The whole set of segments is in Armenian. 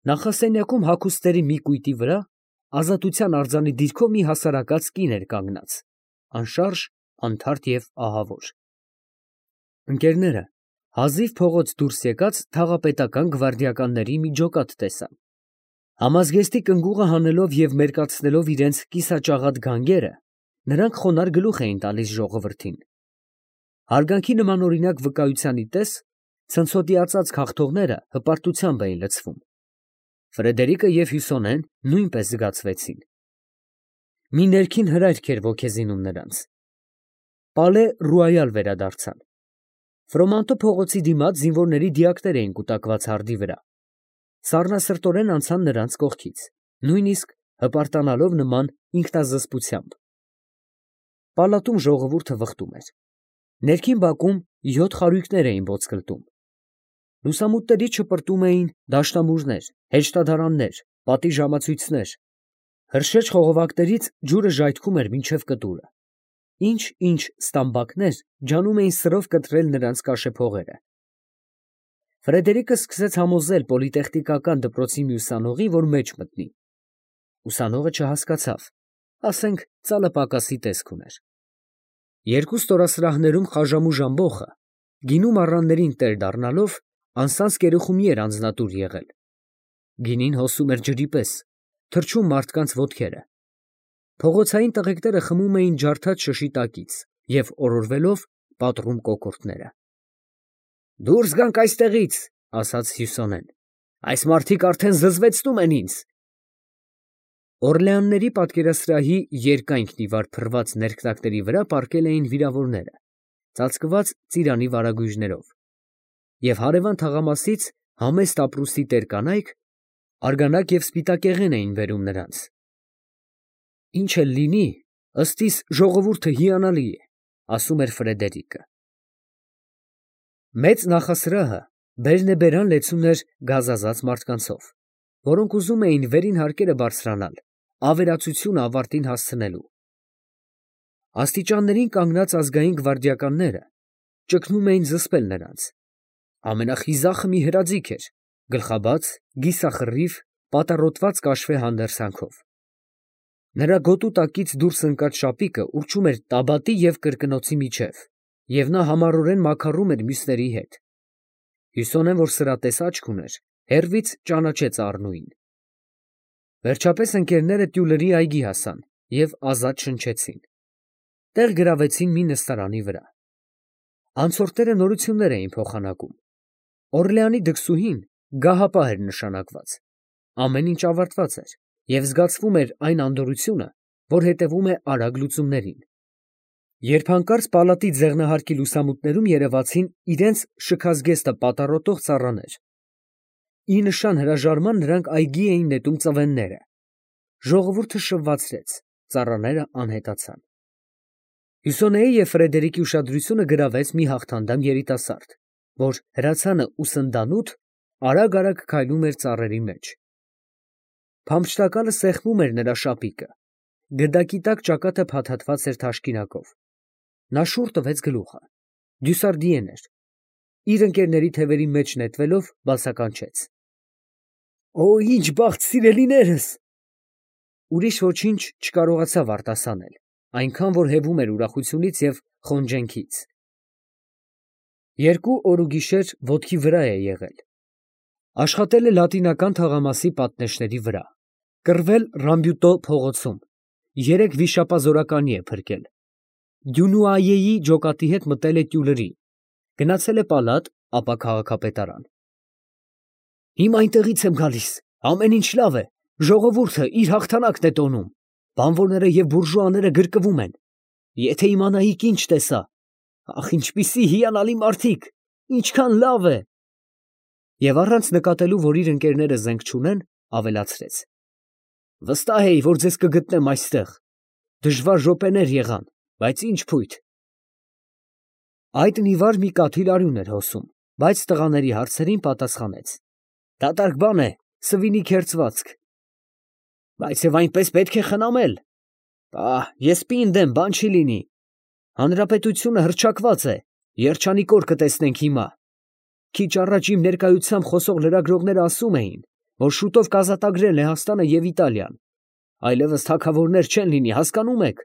Նախասենյակում հագուստների մի կույտի վրա ազատության արձանի դիրքով մի հասարակած կին էր կանգնած, անշարժ, անթարթ և ահավոր։ Ընկերները հազիվ փողոց դուրս եկած թաղապետական գվարդիականների մի ջոկատ տեսան։ Համազգեստի կնգուղը հանելով և մերկացնելով իրենց կիսաճաղատ գանգերը, նրանք խոնարհ գլուխ էին տալիս ժողովրդին։ Հարգանքի նմանօրինակ վկայությանի պես ցնցոտիացած քաղթողները հպարտությամբ էին լցվում։ Ֆրեդերիկը և Հյուսոնեն նույնպես զգացվեցին։ Մի ներքին հրայք էր ոգեզինում նրանց։ Պալե Ռոյալ վերադարձան։ Ֆրոմանտո փողոցի դիմաց զինվորների դիակներ էին կուտակված հարդի վրա։ Սառնասրտորեն անցան նրանց կողքից, նույնիսկ հպարտանալով նման ինքնազսպությամբ։ Պալատում ժողովուրդը վխտում էր։ Ներքին բակում 7 խարույկներ էին ոսկլտում։ Լուսամուտների չպրտում էին դաշնամուրներ, հեշտադարաններ, պատի ժամացույցներ։ Հրշեջ խողովակներից ջուրը ժայթքում էր մինչև կտուրը։ Ինչ ստամբակներ ջանում էին սրով կտրել նրանց կաշեփողերը։ Ֆրեդերիկը սկսեց համոզել պոլիտեխնիկական դպրոցի մի ուսանողի, որ մեջ մտնի։ Ուսանողը չհասկացավ, ասենք ծալը պակասի տեսք ուներ։ Երկու ստորասրահներում խաժամուժ ամբոխը, գինու մառաններին տեր դառնալով, անսանց կերուխումի էր անձնատուր եղել։ Գինին հոսում էր ջրի պես, թռչում մարդկանց ոտքերը։ Փողոցային տղեկները խմում էին ջարդած շշի տակից և օրորվելով պատռում կոկորդները։ «Դուրս գանք այստեղից», ասաց Հյուսոնեն, «այս մարդիկ արդեն զզվեցնում են ինձ»։ Օրլեանների պատկերասրահի երկայնքն ի վար փռված ներքնակների վրա պառկել էին վիրավորները, ծածկված ծիրանի վարագույրներով, և հարևան թաղամասից համեստ ապրուստի տեր կանայք արգանակ և սպիտակեղեն էին բերում նրանց։ «Ինչ էլ լինի, ըստ իս ժողովուրդը հիանալի է», ասում էր Ֆրեդերիկը։ Մեծ նախասրահը բերնեբերան լեցուն էր գազազած մարդկանցով, որոնք ուզում էին վերին հարկերը բարձրանալ, ավերածությունը ավարտին հասցնելու։ Աստիճաններին կանգնած ազգային գվարդիականները ճգնում էին զսպել նրանց։ Ամենախիզախը մի հրաձիգ էր, գլխաբաց, կիսախռիվ, պատառոտված կաշվե հանդերձանքով։ Նրա գոտու տակից դուրս ընկած շապիկը ուռչում էր տաբատի և կրկնոցի միջև, և նա համառորեն մաքարում էր մյուսների հետ։ Հյուսոնեն, որ սրատես աչք ուներ, հեռվից ճանաչեց Առնուին։ Վերջապես ընկերները տյուլերի այգի հասան և ազատ շնչեցին։ Տեղ գրավեցին մի նստարանի վրա։ Անցորդները նորություններ էին փոխանակում։ Օրլեանի դքսուհին գահապահ էր նշանակված։ Ամեն ինչ ավարտված էր, և զգացվում էր այն անդորրությունը, որ հետևում է արագ լուծումներին։ Երբ հանկարծ պալատի ձեղնահարկի լուսամուտներում երևացին իրենց շքազգեստը պատառոտող ծառաներ։ Ի նշան հրաժարման նրանք այգի էին նետում ծվենները։ Ժողովուրդը շվվացրեց, ծառաները անհետացան։ Հյուսոնեի և Ֆրեդերիկի ուշադրությունը գրավեց մի հաղթանդամ երիտասարդ, որ հրացանը ուսնդանութ արագ քայլում էր ծառերի մեջ։ Փամփշտակալը սեղմում էր նրա շապիկը, գդակի տակ ճակատը փաթաթված էր թաշկինակով։ Նա շուռ տվեց գլուխը։ Դյուսարդիեն էր։ Իր ընկերների թևերի մեջ նետվելով բացականչեց. «Օ, ինչ բախտ, սիրելիներս»։ Ուրիշ ոչինչ չկարողացավ արտասանել, այնքան որ հևում էր ուրախությունից և խոնջենքից։ 2 օր ու գիշեր ոտքի վրա է եղել։ Աշխատել է Լատինական թաղամասի պատնեշների վրա, կռվել Ռամբյուտո փողոցում, 3 վիշապազորականի է փրկել։ Դյունուայեի ջոկատի հետ մտել է տյուլերի, գնացել է պալատ, ապա քաղաքապետարան։ Հիմա այնտեղից եմ գալիս, ամեն ինչ լավ է, ժողովուրդը իր հաղթանակն է տոնում, բանվորները և բուրժուաները գրկվում են։ Եթե իմանայիք ինչ տեսա, ախ, ինչպիսի հիանալի մարդիկ, ինչքան լավ է։ Եվ առանց նկատելու, որ իր ընկերները զենք չունեն, ավելացրեց. Վստահ էի, որ ձեզ կգտնեմ այստեղ։ Դժվար րոպեներ եղան, բայց ինչ փույթ։ Այդ նիվար մի կաթիլ արյուն էր հոսում, բայց տղաների հարցերին պատասխանեց. Դատարկ բան է, սվինի քերծվածք։ Բայց և այնպես պետք է խնամել։ Պահ, ես պինդ եմ, բան չի լինի։ Հանրապետությունը հռչակված է, երջանիկ օր կտեսնենք հիմա։ Քիչ առաջ իմ ներկայությամբ խոսող լրագրողները ասում էին, որ շուտով կազատագրել Լեհաստանը և Իտալիան։ Այլևս թագավորներ չեն լինի, հասկանում եք։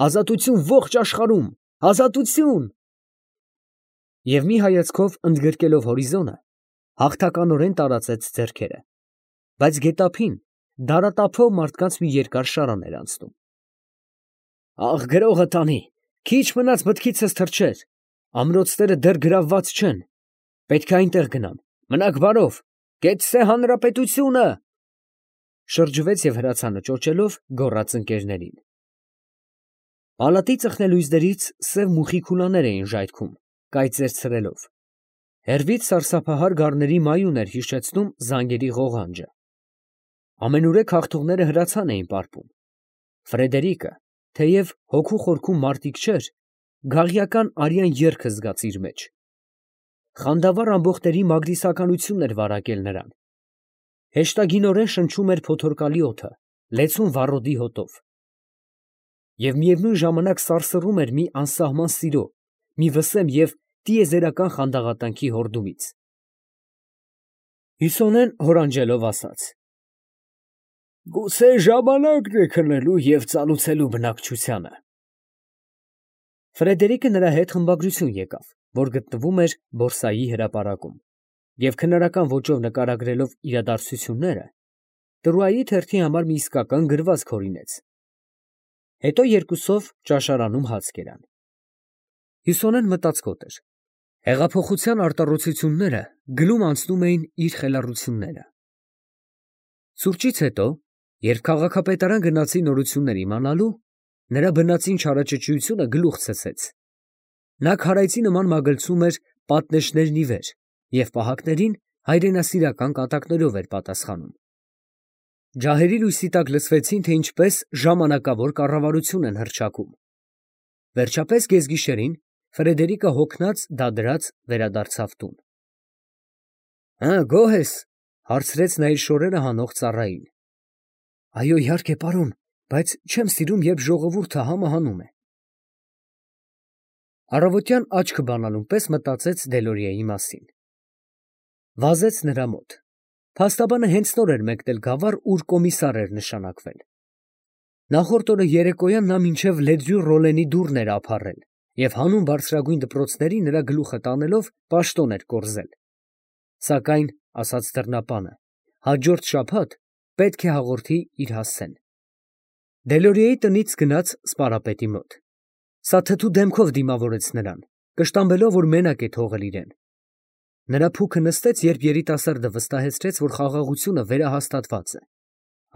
Ազատություն ողջ աշխարհում, ազատություն։ Եվ մի հայացքով ընդգրկելով հորիզոնը, հաղթականորեն տարածեց ձեռքերը, բայց գետափին դարատափով մարդկանց մի երկար շարան էր անցնում։ Աղ, գրողը տանի, քիչ մնաց մտքիցս թռչեր, ամրոցները դեռ գրավված չեն, պետք է այնտեղ գնամ, մնաք բարով, կեցցե հանրապետությունը, շրջվեց և հրացանը ճոճելով գոռաց ընկերներին։ Պալատի ծխնելույզներից սև մուխի քուլաներ էին ժայթքում, կայծեր ցրելով։ Հեռվից սարսափահար գառների մայուն էր հիշեցնում զանգերի ղողանջը։ Ամենուրեք հաղթողները հրացան էին պարպում։ Ֆրեդերիկը, թեև հոգու խորքում մարտիկ չէր, գաղյական արյան եռքը զգաց իր մեջ։ Խանդավառ ամբոխների մագրիսականությունն էր վարակել նրան։ Հեշտագինորեն շնչում էր փոթորկալի օդը, լեցուն վառոդի հոտով։ Եվ միևնույն ժամանակ սարսռում էր մի անսահման սիրո, մի վսեմ և տիեզերական խանդաղատանքի հորդումից։ Հյուսոնեն հորանջելով ասաց. «Գուցե ժամանակն է քնելու և ծալուցելու բնակչությանը»։ Ֆրեդերիկը նրա հետ խմբագրություն եկավ, որ գտնվում էր բորսայի հրապարակում, և քնարական ոճով նկարագրելով իրադարձությունները, Տրուայի թերթի համար մի իսկական գրվածք հորինեց։ Հետո երկուսով ճաշարանում հաց կերան։ Հյուսոնեն մտածկոտ էր։ Հեղափոխության արտառոցությունները գլում անցնում էին իր խելառությունները։ Սուրճից հետո, երբ քաղաքապետարան գնացի նորություններ իմանալու, նրա բնածին չարաճճիությունը գլուխ ցցեց։ Նա քարայծի նման մագլցում էր պատնեշներն ի վեր և պահակներին հայրենասիրական կատակներով էր պատասխանում։ Ջահերի լույսի տակ լսվեցին, թե ինչպես ժամանակավոր կառավարություն են հռչակում։ Վերջապես գեզգիշերին Ֆրեդերիկը հոգնած դադրած վերադարձավ տուն։ Գոհ ես, հարցրեց նա իր շորերը հանող ծառային։ Այո, իհարկե, պարոն, բայց չեմ սիրում, երբ ժողովուրդը համը հանում է։ Առավոտյան աչքը բանալուն պես մտածեց Դելորիայի մասին։ Վազեց նրա մոտ։ Փաստաբանը հենց նոր էր մեկնել գավառ, ուր կոմիսար էր նշանակվել։ Նախորդ օրը երեկոյան նա մինչև Լեդրյու-Ռոլենի դուռն էր ափառել և հանուն բարձրագույն դպրոցների նրա գլուխը տանելով պաշտոն էր կորզել։ Սակայն, ասաց դռնապանը, հաջորդ շաբաթ պետք է հաղորդի իր հասցեն։ Դելորիայի տնից գնաց սպարապետի մոտ։ Սա թթու դեմքով դիմավորեց նրան, կշտամբելով, որ մենակ է թողել իրեն։ Նրա փուքը նստեց, երբ երիտասարդը վստահեցրեց, որ խաղաղությունը վերահաստատված է։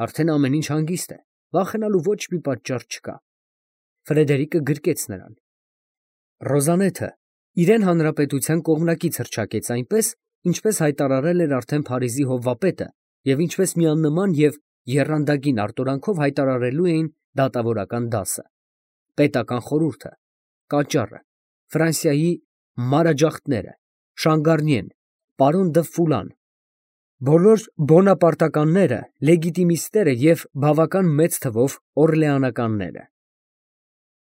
Արդեն ամեն ինչ հանգիստ է, վախենալու ոչ մի պատճառ չկա։ Ֆրեդերիկը գրկեց նրան։ Ռոզանեթը իրեն հանրապետության կողմնակից հռչակեց այնպես, ինչպես հայտարարել էր արդեն Փարիզի հովվապետը և ինչպես միաննման և եռանդագին արտորանքով հայտարարելու էին դատավորական դասը, պետական խորհուրդը, կաճառը, Ֆրանսիայի մանրաջախտները, Շանգարնիեն, պարոն դը Ֆուլան, բոլոր բոնապարտականները, լեգիտիմիստները և բավական մեծ թվով օրլեանականները։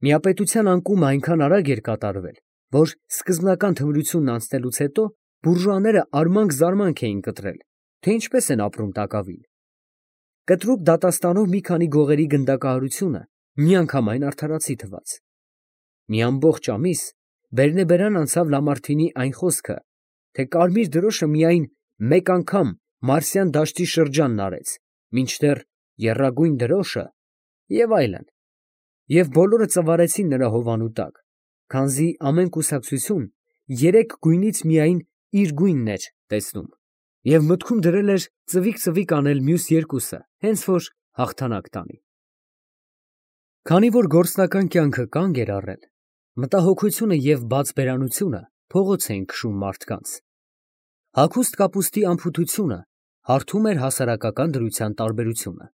Միապետության անկումը այնքան արագ էր կատարվել, որ սկզբնական թմրությունն անցնելուց հետո բուրժուաները արմանք-զարմանք էին կտրել, թե ինչպես են ապրում տակավին։ Կտրուկ դատաստանով մի քանի գողերի գնդակահարությունը միանգամայն արդարացի թվաց։ Մի ամբողջ ամիս բերնեբերան անցավ Լամարթինի այն խոսքը, թե կարմիր դրոշը միայն մեկ անգամ Մարսյան դաշտի շրջանն արեց, մինչդեռ եռագույն դրոշը և այլն, և բոլորը ծվարեցին նրա հովանու տակ, քանզի ամեն կուսակցություն երեք գույնից միայն իր գույնն էր տեսնում, և մտքում դրել էր ծվիկ անել մյուս երկուսը, հենց որ հաղթանակ տանի։ Քանի որ գործնական կյանքը կանգ էր առել, մտահոգությունը և բացբերանությունը փողոց էին քշում մարդկանց։ Հագուստ կապուստի անփութությունը հարթում էր հասարակական դրության տարբերությունը,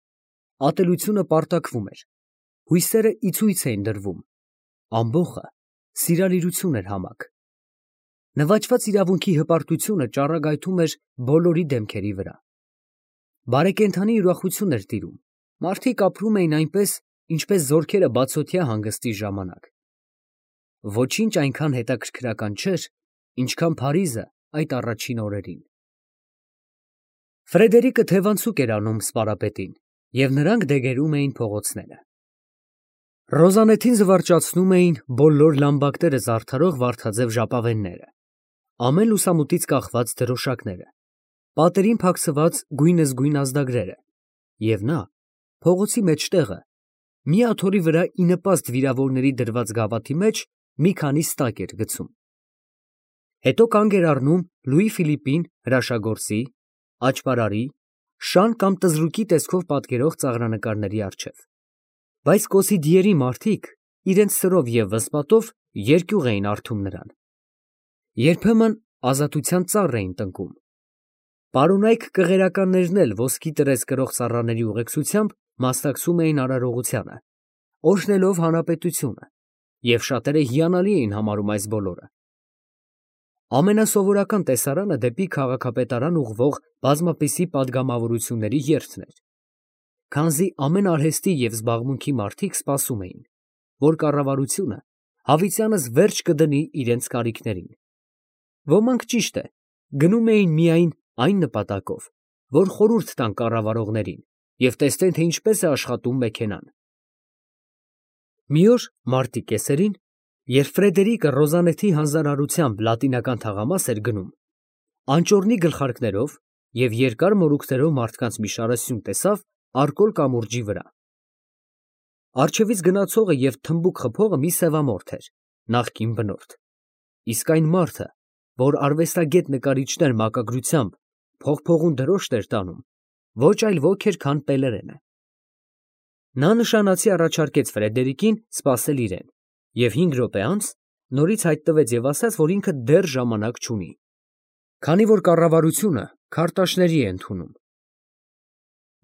ատելությունը պարտաքվում էր, հույսերը ի ցույց էին դրվում, ամբոխը սիրալիրություն էր համակ։ Նվաճված իրավունքի հպարտությունը ճառագայթում էր բոլորի դեմքերի վրա։ Բարեկենդանի ուրախություն էր տիրում, մարդիկ ապրում էին այնպես, ինչպես զորքերը բացօթյա հանգստի ժամանակ։ Ոչինչ այնքան հետաքրքրական չէր, ինչքան Փարիզը այդ առաջին օրերին։ Ֆրեդերիկը թևանցուկ էր անում սպարապետին, և նրանք դեգերում էին փողոցները։ Ռոզանեթին զվարճացնում էին բոլոր լամբակները զարդարող վարդաձև ժապավենները, ամեն լուսամուտից կախված դրոշակները, պատերին փակցված գույնզգույն ազդագրերը, և նա, փողոցի մեջտեղը, մի աթոռի վրա ի նպաստ վիրավորների դրված գավաթի մեջ մի քանի ստակ էր գցում։ Հետո կանգ էր առնում Լուի Ֆիլիպին հրաշագործի, աճպարարի, շան կամ տզրուկի տեսքով պատկերող ծաղրանկարների առջև, բայց կոսիդիերի մարդիկ իրենց սրով և վսպատով երկյուղ էին առթում նրան։ Երբեմն ազատության ծառ էին տնկում։ Պարոնայք կղերականներն էլ ոսկի տրես կրող ծառաների ուղեկցությամբ մասնակցում էին արարողությանը, օրհնելով հանրապետությունը, և շատերը հիանալի էին համարում այս բոլորը։ Ամենասովորական տեսարանը դեպի քաղաքապետարան ուղղվող բազմապիսի պատգամավորությունների երթն էր, քանզի ամեն արհեստի և զբաղմունքի մարդիկ սպասում էին, որ կառավարությունը հավիտյանս վերջ կդնի իրենց կարիքներին։ Ոմանք, ճիշտ է, գնում էին միայն այն նպատակով, որ խորհուրդ տան կառավարողներին և տեսնեն, թե ինչպես է աշխատում մեքենան։ Մի օր մարտի կեսերին, երբ Ֆրեդերիկը Ռոզանեթի հանձնարարությամբ լատինական թաղամաս էր գնում, անճոռնի գլխարկներով և երկար մորուքներով մարդկանց մի շարասյուն տեսավ արկոլ կամուրջի վրա։ Առջևից գնացողը և թմբուկ խփողը մի սևամորթ էր, նախկին բնորդ, իսկ այն մարդը, որ արվեստագետ նկարիչներ մակագրությամբ փողփողուն դրոշտ էր տանում, ոչ այլ ոք էր, քան Պելերենը։ Նա նշանացի առաջարկեց Ֆրեդերիկին սպասել իրեն, և 5 րոպե անց նորից հայտնվեց և ասաց, որ ինքը դեռ ժամանակ չունի, քանի որ կառավարությունը քարտաշների է ընդունում։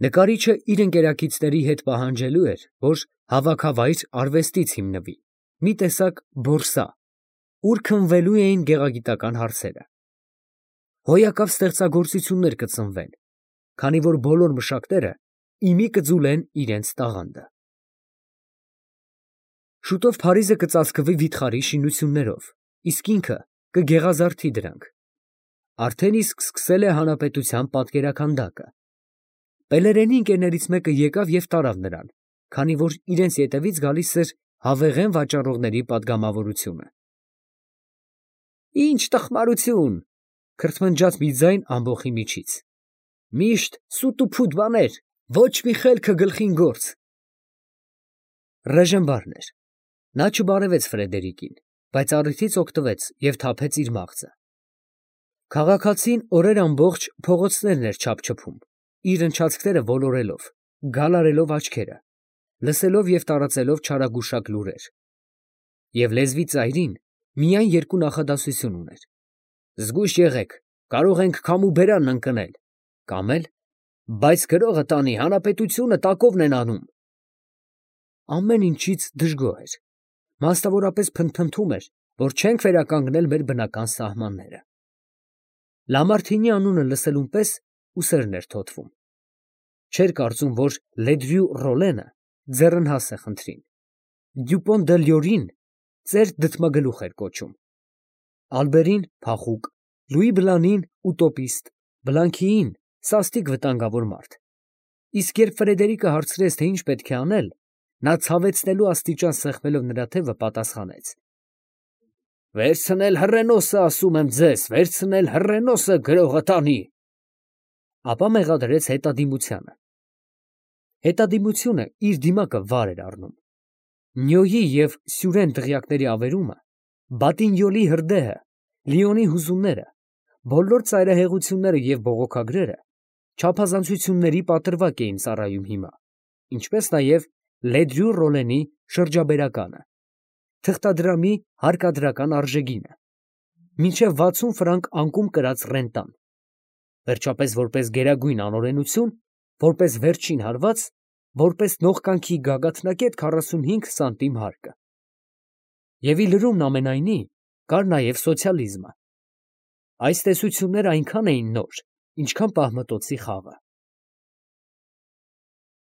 Նկարիչը իր ընկերակիցների հետ պահանջելու էր, որ հավաքավայր արվեստից հիմնվի, մի տեսակ բորսա, ուր քննվելու էին գեղագիտական հարցերը։ Հոյակապ ստեղծագործություններ կծնվեն, քանի որ բոլոր մշակները իմի կձուլեն իրենց տաղանդը։ Շուտով Փարիզը կծածկվի վիթխարի շինություններով, իսկ ինքը կգեղազարդի դրանք։ Արդեն իսկ սկսել է հանրապետության պատկերաքանդակը։ Պելերենի ընկերներից մեկը եկավ և տարավ նրան, քանի որ իրենց ետևից գալիս էր հավեղեն վաճառողների պատգամավորությունը։ Ինչ տխմարություն, քրթմնջաց մի ձայն ամբոխի միջից։ Միշտ սուտ ու փուտ բաներ, ոչ մի խելքը գլխին գործ։ Ռեժենբարն էր։ Նա չբարևեց Ֆրեդերիկին, բայց առիթից օգտվեց և թափեց իր մաղձը։ Քաղաքացին օրեր ամբողջ փողոցներն էր չափչփում, իր ընչացքները ոլորելով, գալարելով աչքերը, լսելով և տարածելով չարագուշակ լուրեր։ Եվ լեզվի ծայրին միայն երկու նախադասություն ուներ. զգույշ եղեք, կարող ենք քամու բերան ընկնել, կամ էլ բայց գրողը տանի, հանրապետությունը տակովն են անում։ Ամեն ինչից դժգոհ էր, մասնավորապես փնթփնթում էր, որ չենք վերականգնել մեր բնական սահմանները։ Լամարթինի անունը լսելուն պես ուսերն էր թոթվում։ Չէր կարծում, որ Լեդրյու Ռոլենը ձեռնհաս է խնդրին, Դյուպոն դը Լյորին ծեր դդմագլուխ էր կոչում, Ալբերին փախուկ, Լուի Բլանին ուտոպիստ, Բլանքիին սաստիկ վտանգավոր մարդ։ Իսկ երբ Ֆրեդերիկը հարցրեց, թե ինչ պետք է անել, նա ցավեցնելու աստիճան սեղմելով նրա թևը պատասխանեց. Վերցնել հռենոսը, ասում եմ ձեզ, վերցնել հռենոսը, գրողը տանի։ Ապա մեղադրեց հետադիմությանը։ Հետադիմությունը իր դիմակը վար էր առնում։ Նյոյի և Սյուրեն դղյակների ավերումը, Բատինյոլի հրդեհը, Լիոնի հուզումները, բոլոր ծայրահեղությունները և բողոքագրերը չափազանցությունների պատրվակ էին ծառայում հիմա, ինչպես նաև Լեդրյու Ռոլենի շրջաբերականը, թղթադրամի հարկադրական արժեգինը, մինչև 60 ֆրանկ անկում կրած ռենտան, վերջապես որպես գերագույն անօրենություն, որպես վերջին հարված, որպես նողկանքի գագաթնակետ 45 սանտիմ հարկը։ Եվ ի լրումն ամենայնի կար նաև սոցիալիզմը։ Այս տեսությունները այնքան էին նոր, ինչքան պահմտոցի խաղը։